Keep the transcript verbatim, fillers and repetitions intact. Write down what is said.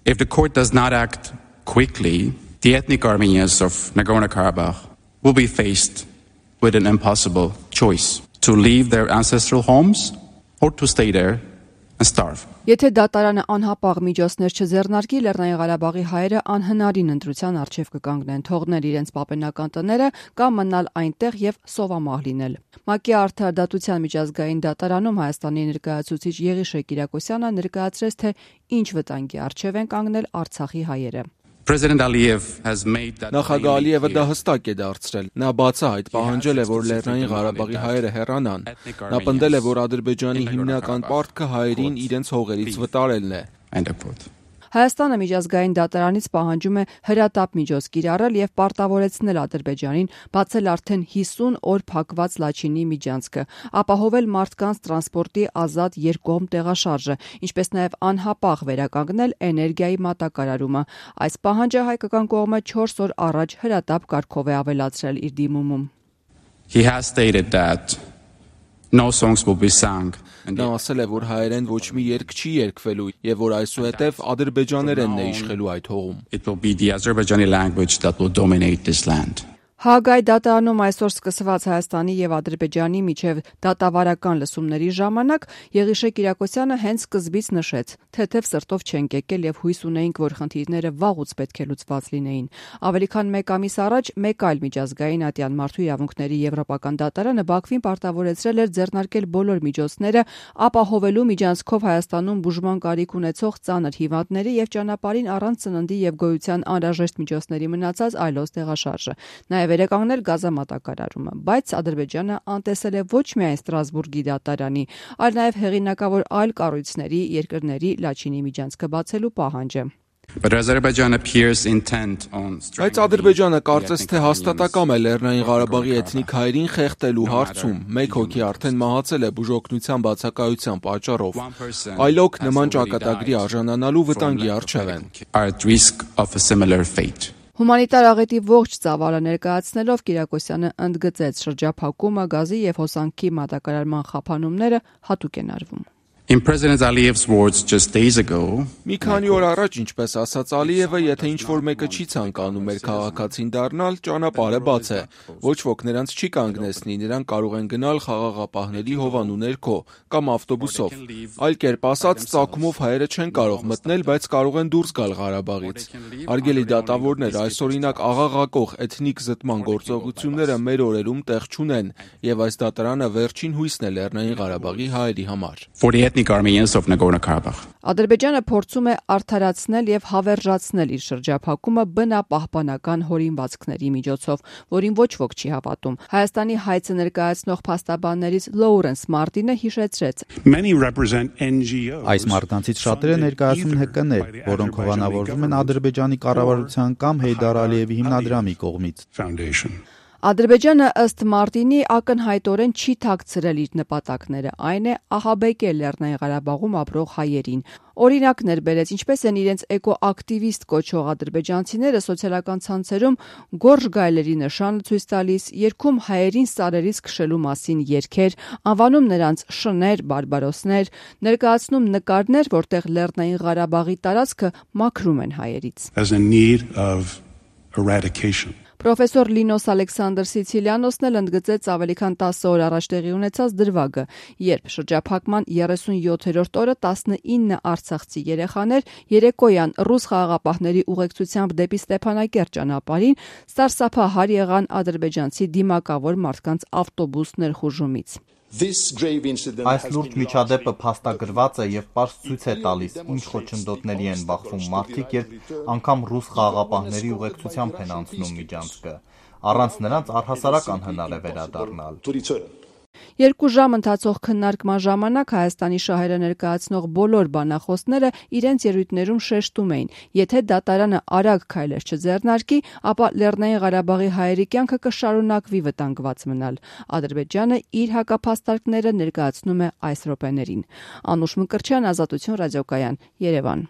If the court does not act quickly, the ethnic Armenians of Nagorno-Karabakh will be faced with an impossible choice to leave their ancestral homes or to stay there and starve. Եթե դատարանը անհապաղ միջոցներ չձեռնարկի, Լեռնային Ղարաբաղի հայերը անհնարին ընտրության առջև կկանգնեն, թողնել իրենց պապենական տները կամ մնալ այնտեղ եւ սովամահ լինել։ ՄԱԿ-ի արդարադատության միջազգային դատարանում Հայաստանի ներկայացուցիչ Եղիշե Կիրակոսյանը ներկայացրեց, թե ինչ վտանգի առջև են կանգնել Արցախի հայերը։ Նախագահ Ալիևը դա հստակ է դարձրել։ Նա բացահայտ պահանջել է, որ Լեռնային Ղարաբաղի հայերը հեռանան։ Նա պնդել է, որ Ադրբեջանի հիմնական պարտքը հայերին իրենց հողերից վտարելն է։ Հայաստանը միջազգային դատարանից պահանջում է հրատապ միջոց կիրառել եւ պարտավորեցնել Ադրբեջանին բացել արդեն հիսուն օր փակված Լաչինի միջանցքը, ապահովել մարդկանց տրանսպորտի ազատ երկկողմ տեղաշարժը, ինչպես նաեւ անհապաղ վերականգնել էներգիայի մատակարարումը։ Այս պահանջը հայկական կողմը չորս օր առաջ հրատապ կարգով է ավելացրել իր դիմումում։ He has stated that no songs will be sung. Նա ասել է, որ հայերեն ոչ մի երգ չի երգվելու եւ որ այսուհետեւ ադրբեջաներենն է իշխելու այդ հողում։ It will be the Azerbaijani language that will dominate this land. Հաագայի դատարանում այսօր սկսված Հայաստանի եւ Ադրբեջանի միջև դատավարական լսումների ժամանակ Եղիշե Կիրակոսյանը հենց սկզբից նշեց, թեթև սրտով չենք եկել եւ հույս ունեինք, որ խնդիրները վաղուց պետք է լուծված լինեին։ Ավելի քան մեկ ամիս առաջ մեկ այլ միջազգային ատյան մարդու իրավունքների եվրոպական դատարանը Բաքվին պարտավորեցրել էր ձեռնարկել բոլոր միջոցները ապահովելու միջանցքով Հայաստանում բուժման կարիք ունեցող ծանր հիվանդների եւ ճանապարհին առանց ծննդի եւ գոյության անհրաժեշտ միջոցների մնացած այլոց տեղաշարժը։ Նաև վերականգնել գազամատակարարումը, բայց Ադրբեջանը անտեսել է ոչ միայն Ստրասբուրգի դատարանի, այլ նաև հեղինակավոր այլ կառույցների երկրների Լաչինի միջանցքը բացելու պահանջը։ Բայց Ադրբեջանը կարծես թե հաստատակամ է Լեռնային Ղարաբաղի էթնիկ հայերին խեղդելու հարցում։ Մեկ հոգի արդեն մահացել է բուժօգնության բացակայության պատճառով։ Այլոք նման ճակատագրի արժանանալու վտանգի առջև են։ Հումանիտար աղետի ողջ ծավալը ներկայացնելով Կիրակոսյանը ընդգծեց շրջափակումը, գազի եւ հոսանքի մատակարարման խափանումները հատուկ են արվում։ In President Aliyev's words just days ago, մի քանի օր առաջ, ինչպես ասաց Ալիևը, եթե ինչ-որ մեկը չի ցանկանում մեր քաղաքացին դառնալ, ճանապարհը բաց է։ Ոչ ոք նրանց չի կանգնեցնի, նրանք կարող են գնալ խաղաղապահների հովանու ներքո կամ ավտոբուսով։ Այլ կերպ ասած, ծագումով հայերը չեն կարող մտնել, բայց կարող են դուրս գալ Ղարաբաղից։ Արգելի դատավորներ, այսօրինակ աղաղակող էթնիկ զտման գործողությունները մեր օրերում տեղ չունեն, եւ այս դատարանը վերջին հույսն է Լեռնային Ղարաբաղի հայերի համար։ Armenians of Nagorno-Karabakh. Ադրբեջանը փորձում է արդարացնել եւ հավերժացնել իր շրջափակումը բնապահպանական հորինվածքների միջոցով, որին ոչ ոք չի հավատում։ Հայաստանի հայցը ներկայացնող փաստաբաններից Լոուրենս Մարտինը հիշեցրեց. Այս մարդկանցից շատերը ներկայացնում են Հ Կ Ն-եր, որոնք հովանավորվում են Ադրբեջանի կառավարության կամ Հեյդար Ալիևի հիմնադրամի կողմից։ Ադրբեջանը ըստ Մարտինի ակնհայտորեն չի թաքցրել իր նպատակները, այն է ահաբեկել Լեռնային Ղարաբաղում ապրող հայերին։ Օրինակներ բերեց, ինչպես են իրենց էկոակտիվիստ կոչող ադրբեջանցիները սոցիալական ցանցերում գորժ գայլերի նշան ցույց տալիս, երգում հայերին սարերից քշելու մասին երգեր, անվանում նրանց շներ, բարբարոսներ, ներկայացնում նկարներ, որտեղ Լեռնային Ղարաբաղի տարածքը մաքրում են հայերից։ Պրոֆեսոր Լինոս Ալեքսանդր Սիցիլիանոսն էլ ընդգծեց ավելի քան տասը օր առաջ տեղի ունեցած դրվագը, երբ շրջափակման երեսունյոթերորդ օրը տասնինը արցախցի երեխաներ երեկոյան ռուս խաղաղապահների ուղեկցությամբ դեպի Ստեփանակերտ ճանապարհին սարսափահար եղան ադրբեջանցի դիմակավոր մարդկանց ավտոբուս ներխուժումից։ Այս լուրջ միջադեպը փաստագրված է եւ պարզ ցույց է տալիս, ինչ խոչընդոտների են բախվում մարդիկ, երբ անգամ ռուս խաղաղապահների ուղեկցությամբ են անցնում միջանցքը։ Առանց նրանց առհասարակ անհնար է վերադառնալ։ Երկու ժամ ընթացող քննարկման ժամանակ Հայաստանի շահերը ներկայացնող բոլոր բանախոսները իրենց ելույթներում շեշտում էին, եթե դատարանը արագ քայլեր չձեռնարկի, ապա Լեռնային Ղարաբաղի հայերի կյանքը կշարունակվի վտանգված մնալ։ Ադրբեջանը իր հակափաստարկները ներկայացնում է այս րոպեներին։ Անուշ Մկրտչյան, Ազատություն ռադիոկայան, Երևան։